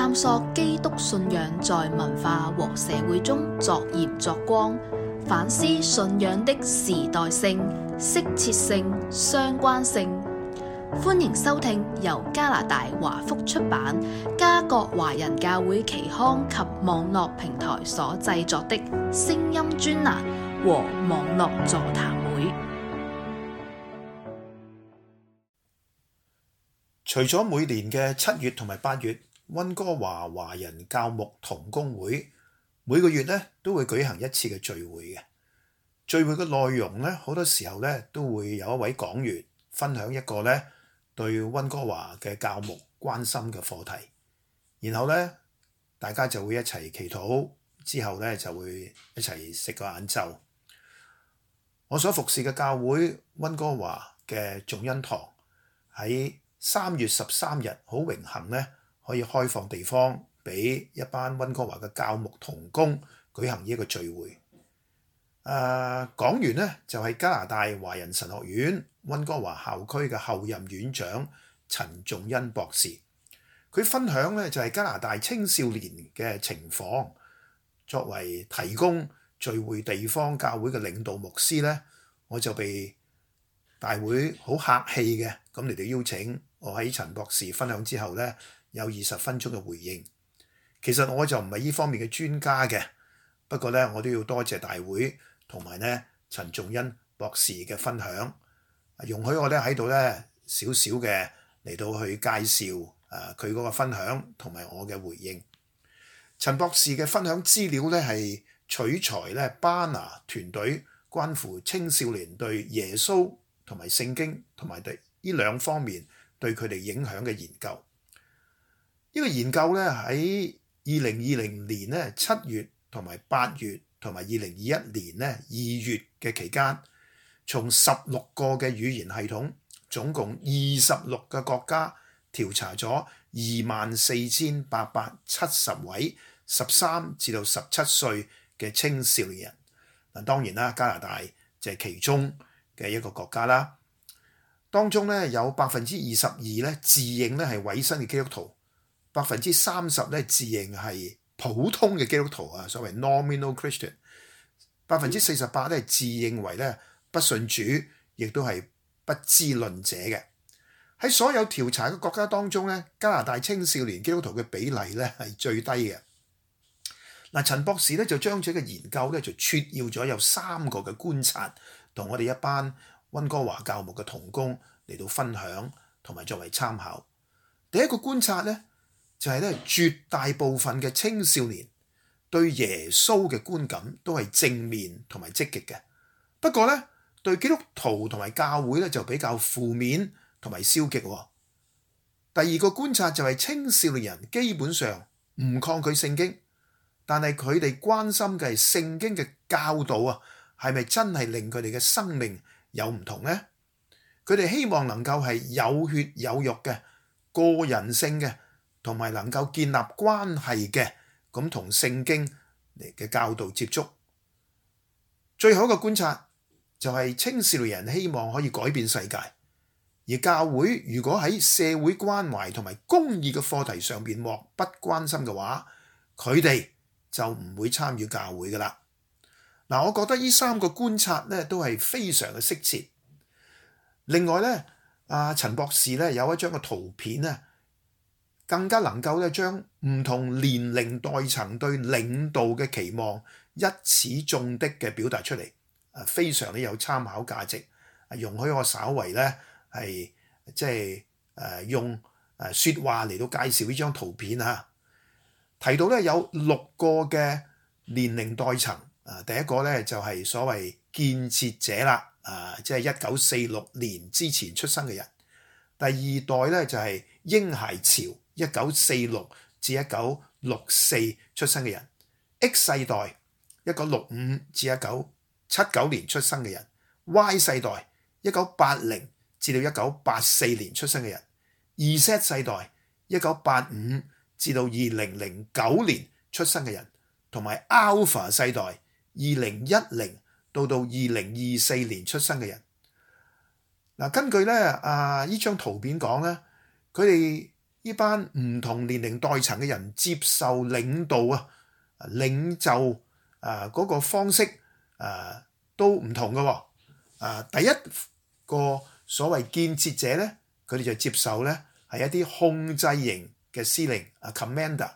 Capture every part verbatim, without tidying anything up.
探索基督信仰在文化和社會中作鹽作光，反思信仰的時代性、適切性、相關性。歡迎收聽由加拿大華福出版、加國華人教會期刊及網絡平台所製作的聲音專欄和網絡座談會。除咗每年嘅七月同埋八月，溫哥華華人教牧同工會每個月咧都會舉行一次嘅聚會嘅。聚會嘅內容咧，好多時候咧都會有一位講員分享一個咧對溫哥華嘅教牧關心嘅課題，然後咧大家就會一齊祈禱，之後咧就會一齊食個晏晝。我所服侍嘅教會溫哥華嘅眾恩堂喺三月十三日好榮幸咧可以開放地方俾一班溫哥華嘅教牧同工舉行呢一個聚會。誒講員咧就係加拿大華人神學院溫哥華校區嘅後任院長陳仲恩博士。佢分享咧就係加拿大青少年嘅情況。作為提供聚會地方教會嘅領導牧師咧，我就被大會好客氣嘅咁嚟到邀請我喺陳博士分享之後咧有二十分鐘嘅回應。其實我就唔係呢方面嘅專家嘅，不過咧我都要多謝大會同埋咧陳仲恩博士嘅分享，容許我咧喺度咧少少嘅嚟到去介紹誒佢嗰個分享同埋我嘅回應。陳博士嘅分享資料咧係取材咧巴拿團隊關乎青少年對耶穌同埋聖經同埋對呢兩方面對佢哋影響嘅研究。呢個研究咧喺二零二零年咧七月同埋八月同埋二零二一年咧二月嘅期間，從十六個嘅語言系統，總共二十六個國家調查咗二萬四千八百七十位十三至到十七歲嘅青少年人。嗱，當然啦，加拿大就係其中嘅一個國家啦。當中咧有百分之二十二咧自認咧係委身嘅基督徒，百分之三十咧自認係普通嘅基督徒啊，所謂 nominal Christian。百分之四十八咧自認為咧不信主，亦都係不知論者嘅。喺所有調查嘅國家當中咧，加拿大青少年基督徒嘅比例咧係最低嘅。嗱，陳博士咧就將這個研究咧就撮要咗有三個嘅觀察，同我哋一班溫哥華教牧嘅同工嚟到分享，同埋作為參考。第一個觀察咧就係咧絕大部分嘅青少年對耶穌嘅觀感都係正面同埋積極嘅，不過咧對基督徒同埋教會咧就比較負面同埋消極。第二個觀察就係青少年人基本上唔抗拒聖經，但係佢哋關心嘅係聖經嘅教導啊，係咪真係令佢哋嘅生命有唔同呢？佢哋希望能夠係有血有肉嘅個人性嘅，同埋能夠建立關係嘅，咁同聖經嚟嘅教導接觸。最後一個觀察就係青少年人希望可以改變世界，而教會如果喺社會關懷同埋公義嘅課題上邊漠不關心嘅話，佢哋就唔會參與教會噶啦。嗱，我覺得呢三個觀察咧都係非常嘅適切。另外咧，阿陳博士咧有一張嘅圖片咧，更加能夠咧將唔同年齡代層對領導嘅期望一矢中的嘅表達出嚟，啊，非常之有參考價值。容許我稍為咧係即係誒用誒説話嚟到介紹呢張圖片啊。提到咧有六個嘅年齡代層，啊，第一個咧就係所謂建設者啦，啊，即係一九四六年之前出生嘅人。第二代咧就係嬰孩潮，一九四六至一九六四出生嘅人。X 世代，一九六五至一九七九年出生嘅人。Y 世代，一九八零至到一九八四年出生嘅人。Z 世代，一九八五至到二零零九年出生嘅人，同埋 Alpha 世代，二零一零到到二零二四年出生嘅人。嗱，根據咧啊呢張圖片講咧，佢哋呢班唔同年齡代層嘅人接受領導啊、領袖啊嗰個方式啊都唔同嘅喎。啊，第一個所謂建設者咧，佢哋就接受咧係一啲控制型嘅司令啊 commander。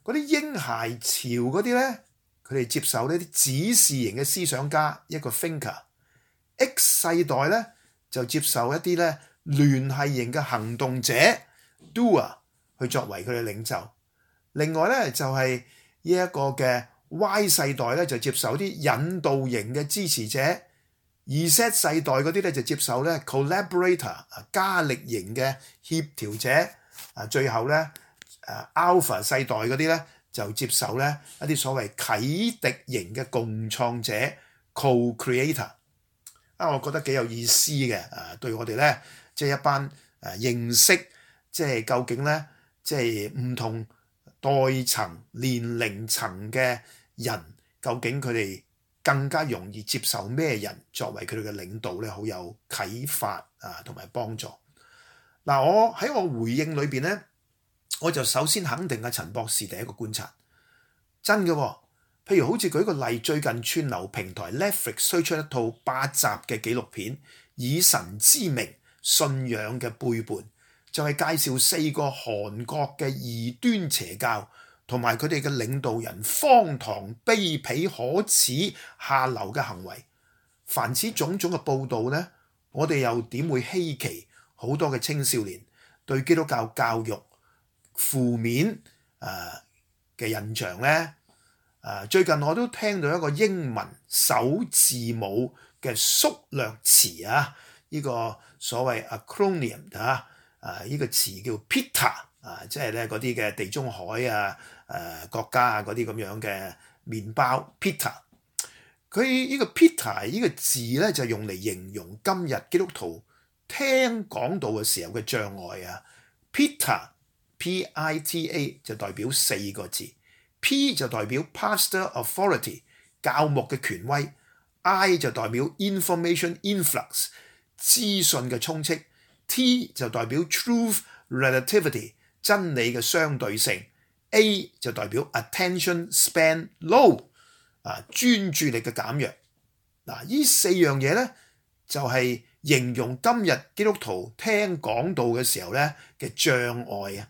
嗰啲嬰孩潮嗰啲咧，佢哋接受呢啲指示型嘅思想家一個 thinker。X 世代咧就接受一啲咧聯繫型嘅行動者 doer 去作為佢嘅領袖。另外咧就係呢一個嘅 Y 世代咧就接受啲引導型嘅支持者。而 Z 世代嗰啲咧就接受咧 collaborator 啊加力型嘅協調者。啊最後咧誒 Alpha 世代嗰啲咧就接受咧一啲所謂啟迪型嘅共創者 co-creator。啊，我覺得幾有意思嘅，啊，對我哋咧，即係一班誒認識，即係究竟咧，即係唔同代層、年齡層嘅人，究竟佢哋更加容易接受咩人作為佢哋嘅領導咧，好有啟發啊，同埋幫助。嗱，我喺我回應裏邊咧，我就首先肯定阿陳博士第一個觀察，真嘅喎。譬如好似舉個例，最近串流平台 Netflix 推出一套八集嘅紀錄片《以神之名：信仰嘅背叛》，就係介紹四個韓國嘅異端邪教同埋佢哋嘅領導人荒唐、卑鄙、可恥、下流嘅行為。凡此種種嘅報導呢，我哋又點會稀奇好多嘅青少年對基督教教育負面誒嘅印象呢？Uh, 最近我都聽到一個英文首字母嘅縮略詞啊，呢、這個所謂 acronym 啊，啊呢、這個詞叫 PITA 啊，即係咧嗰啲嘅地中海啊、誒、啊、國家啊嗰啲咁樣嘅麵包 PITA。佢呢個 PITA 呢個字咧就用嚟形容今日基督徒聽講道嘅時候嘅障礙啊。PITA P I T A 就代表四個字。P 就代表 pastor authority 教牧嘅權威。 I 就代表 information influx 資訊嘅充斥。 T 就代表 truth relativity 真理嘅相對性。 A 就代表 attention span low 啊專注力嘅減弱。嗱，呢四樣嘢咧就係形容今日基督徒聽講道嘅時候咧嘅障礙啊。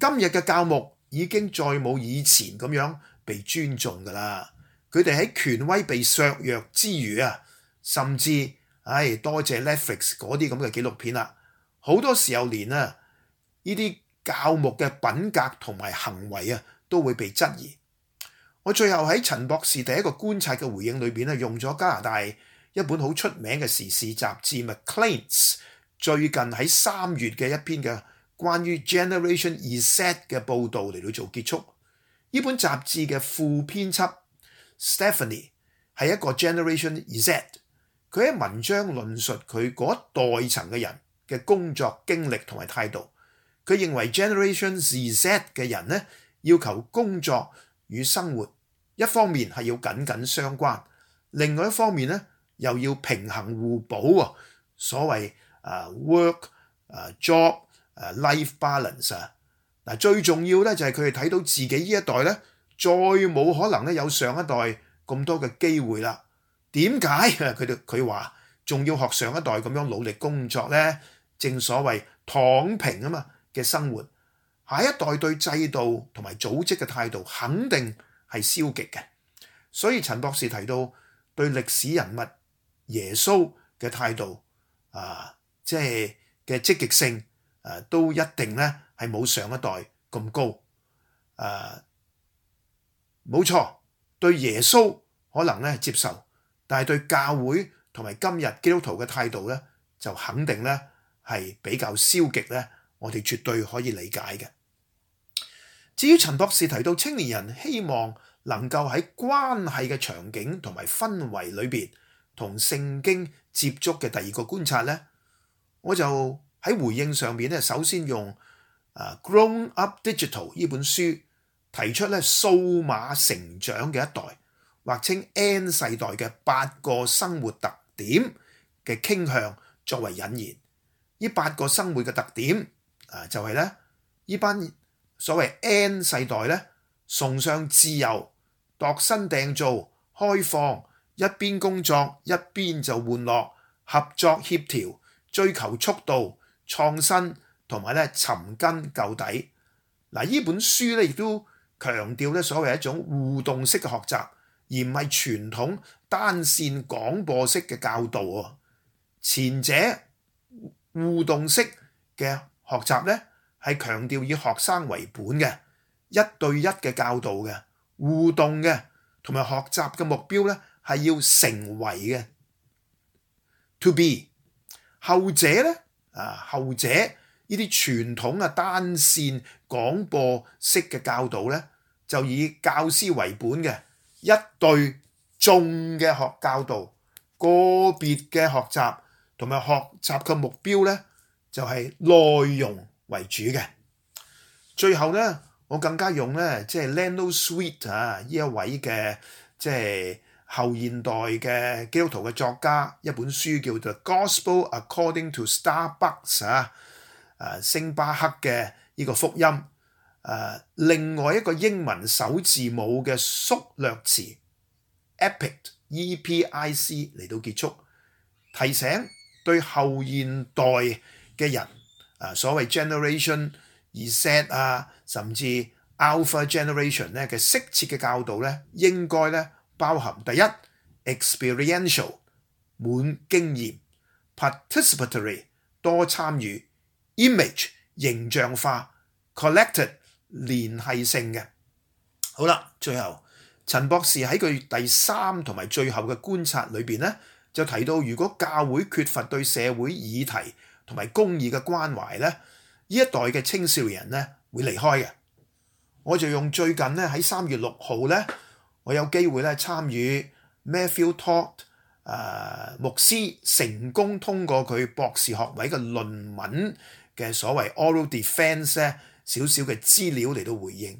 今日嘅教牧已經再冇以前咁樣被尊重㗎啦。佢哋喺權威被削弱之餘啊，甚至唉多謝 Netflix 嗰啲咁嘅紀錄片啦，好多時候連啊呢啲教牧嘅品格同埋行為啊都會被質疑。我最後喺陳博士第一個觀察嘅回應裏邊咧，用咗加拿大一本好出名嘅時事雜誌 Maclean's 最近喺三月嘅一篇嘅關於 Generation Z 嘅報導嚟到做結束。呢本雜誌嘅副編輯 Stephanie 係一個 Generation Z， 佢喺文章論述佢嗰一代層嘅人嘅工作經歷同埋態度。佢認為 Generation Z 嘅人呢，要求工作與生活一方面係要緊緊相關，另外一方面呢又要平衡互補啊，所謂、uh, work、uh, job Uh, life balance 啊，嗱最重要咧就係佢哋睇到自己呢一代咧，再冇可能咧有上一代咁多嘅機會啦。點解佢哋佢話仲要學上一代咁樣努力工作咧？正所謂躺平啊嘛嘅生活，下一代對制度同埋組織嘅態度肯定係消極嘅。所以陳博士提到對歷史人物耶穌嘅態度啊，即係嘅積極性。誒都一定咧係冇上一代咁高。誒冇錯，對耶穌可能咧接受，但係對教會同埋今日基督徒嘅態度咧，就肯定咧係比較消極咧。我哋絕對可以理解嘅。至於陳博士提到青年人希望能夠喺關係嘅場景同埋氛圍裏邊同聖經接觸嘅第二個觀察咧，我就喺回應上面咧，首先用《Grown Up Digital》呢本書提出咧數碼成長嘅一代，或稱 N 世代嘅八個生活特點嘅傾向作為引言。呢八個生活嘅特點啊，就係咧呢班所謂 N 世代咧，崇尚自由、度身訂造、開放，一邊工作一邊就玩樂，合作協調，追求速度、創新同埋咧尋根究底。嗱，呢本書咧亦都強調咧所謂一種互動式嘅學習，而唔係傳統單線廣播式嘅教導喎。前者互動式嘅學習咧係強調以學生為本嘅，一對一嘅教導嘅，互動嘅，同埋學習嘅目標咧係要成為嘅 to be。後者咧啊，後者呢啲傳統啊單線廣播式嘅教導咧，就以教師為本嘅一對眾嘅學教導，個別嘅學習同埋學習嘅目標咧就係內容為主嘅。最後咧，我更加用咧即係 Leno Sweet 啊呢一位嘅即係後現代嘅基督徒嘅作家一本書叫做《Gospel According to Starbucks》啊，誒星巴克嘅呢個福音，誒另外一個英文首字母嘅縮略詞 Epic E P I C 嚟到結束，提醒對後現代嘅人啊，所謂 Generation Z 啊，甚至 Alpha Generation 咧嘅適切嘅教導咧，應該咧包含第一 experiential 滿經驗 ，participatory 多參與 ，image 形象化 ，collected 連繫性嘅。好啦，最後陳博士喺佢第三同埋最後嘅觀察裏邊咧，就提到如果教會缺乏對社會議題同埋公義嘅關懷咧，呢一代嘅青少年人咧會離開嘅。我就用最近咧喺三月六號咧，我有機會咧參與 Matthew Todd 誒牧師成功通過佢博士學位嘅論文嘅所謂 oral defense 咧少少嘅資料嚟到回應。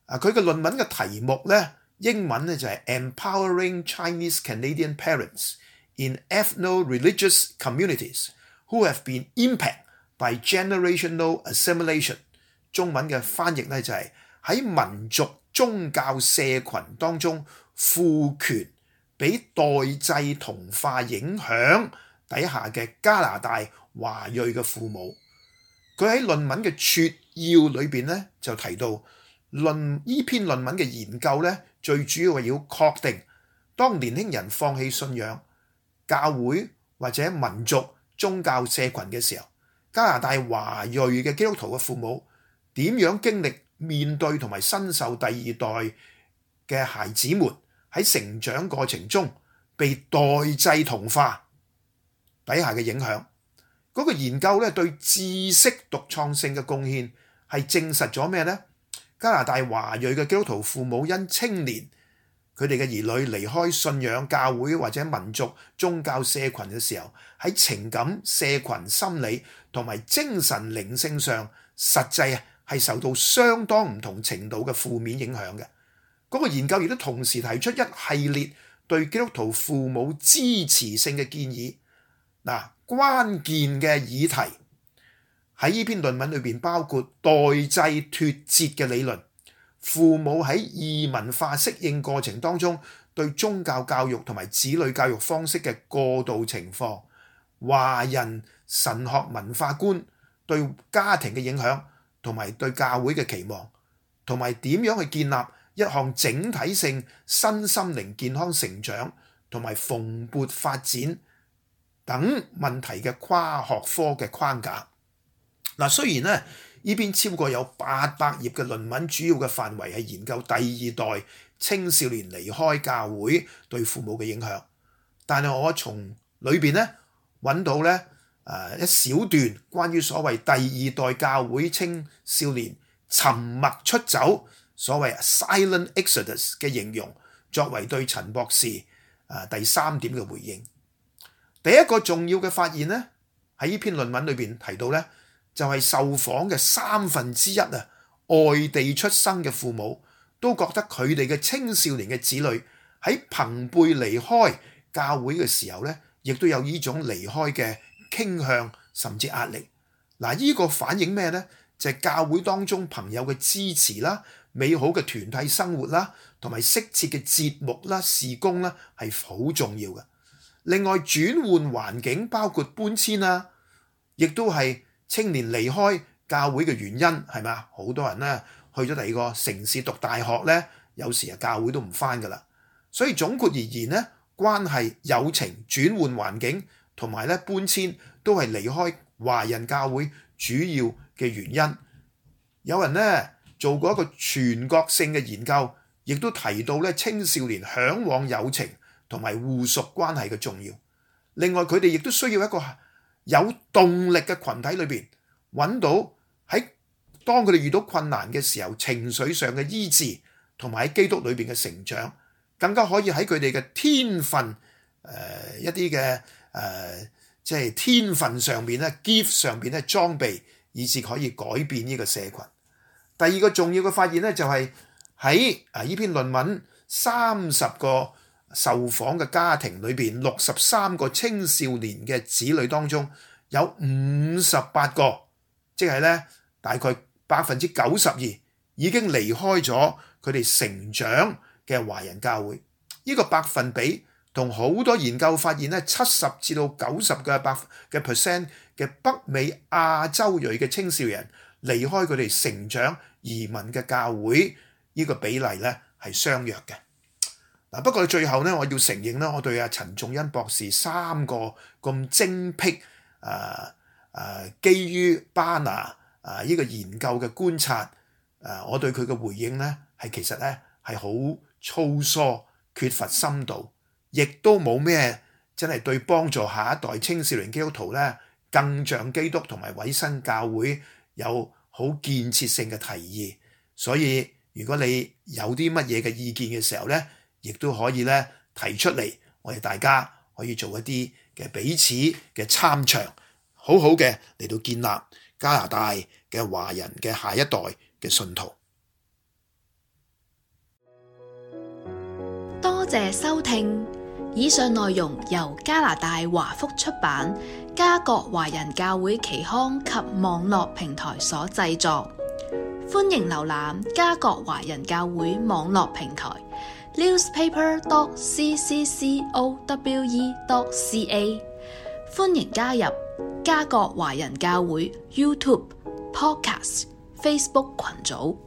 啊，佢嘅論文嘅題目咧英文咧就係 Empowering Chinese Canadian Parents in Ethno-Religious Communities who have been impacted by generational assimilation。中文嘅翻譯咧就係喺民族宗教社群當中賦權俾代際同化影響底下嘅加拿大華裔嘅父母。佢喺論文嘅撮要裏邊咧就提到論呢篇論文嘅研究咧，最主要係要確定當年輕人放棄信仰、教會或者民族宗教社群嘅時候，加拿大華裔嘅基督徒嘅父母點樣經歷面對同埋身受第二代嘅孩子們喺成長過程中被代際同化底下嘅影響。嗰個研究咧對知識獨創性嘅貢獻係證實咗咩呢？加拿大華裔嘅基督徒父母因青年佢哋嘅兒女離開信仰教會或者民族宗教社群嘅時候，喺情感、社群、心理同埋精神靈性上，實際係受到相當唔同程度嘅負面影響嘅。嗰個研究亦都同時提出一系列對基督徒父母支持性嘅建議。嗱，關鍵嘅議題喺呢篇論文裏邊包括代際脫節嘅理論，父母喺異文化適應過程當中對宗教教育同埋子女教育方式嘅過渡情況，華人神學文化觀對家庭嘅影響，同埋對教會嘅期望，同埋點樣去建立一項整體性身心靈健康成長同埋蓬勃發展等問題嘅跨學科嘅框架。嗱，雖然咧呢邊超過有八百頁嘅論文，主要嘅範圍係研究第二代青少年離開教會對父母嘅影響，但係我從裏邊咧揾到咧誒一小段關於所謂第二代教會青少年沉默出走，所謂 silent exodus 嘅形容，作為對陳博士誒第三點嘅回應。第一個重要嘅發現咧，喺呢篇論文裏邊提到咧，就係受訪嘅三分之一啊，外地出生嘅父母都覺得佢哋嘅青少年嘅子女喺朋輩離開教會嘅時候咧，亦都有呢種離開嘅傾向甚至壓力。嗱，呢個反映咩呢？就係教會當中朋友嘅支持啦、美好嘅團體生活啦，同埋適切嘅節目啦、事工啦，係好重要嘅。另外轉換環境，包括搬遷啊，亦都係青年離開教會嘅原因，係咪啊？好多人咧去咗第二個城市讀大學咧，有時啊教會都唔返㗎啦。所以總括而言咧，關係、友情、轉換環境同埋咧搬遷都係離開華人教會主要嘅原因。有人咧做過一個全國性嘅研究，亦都提到咧青少年嚮往友情同埋互屬關係嘅重要。另外佢哋亦都需要一個有動力嘅群體裏邊揾到喺當佢哋遇到困難嘅時候情緒上嘅醫治，同埋喺基督裏邊嘅成長，更加可以喺佢哋嘅天分誒、呃、一啲嘅誒即係天分上邊咧 gift 上邊咧裝備，以至可以改變呢個社群。第二個重要嘅發現咧就係喺啊呢篇論文三十個受訪嘅家庭裏邊，六十三個青少年嘅子女當中，有五十八個，即係咧大概百分之九十二已經離開咗佢哋成長嘅華人教會。呢個百分比同好多研究發現咧，七十至到九十嘅百嘅 percent 嘅北美亞洲裔嘅青少年離開佢哋成長移民嘅教會，呢個比例咧係相若嘅。嗱，不過最後咧，我要承認咧，我對阿陳仲恩博士三個咁精闢誒誒，基於巴拿啊呢個研究嘅觀察，誒，我對佢嘅回應咧係其實咧係好粗疏，缺乏深度，亦都冇咩真係對幫助下一代青少年基督徒咧更像基督同埋委身教會有好建設性嘅提議。所以如果你有啲乜嘢嘅意見嘅時候咧，亦都可以咧提出嚟，我哋大家可以做一啲嘅彼此嘅參詳，好好嘅嚟到建立加拿大嘅華人嘅下一代嘅信徒。多謝收聽，以上內容由加拿大華福出版、加國華人教會期刊及網絡平台所製作。歡迎瀏覽加國華人教會網絡平台 newspaper dot c c c o w e dot c a。歡迎加入加國華人教會 YouTube、Podcast、Facebook 群組。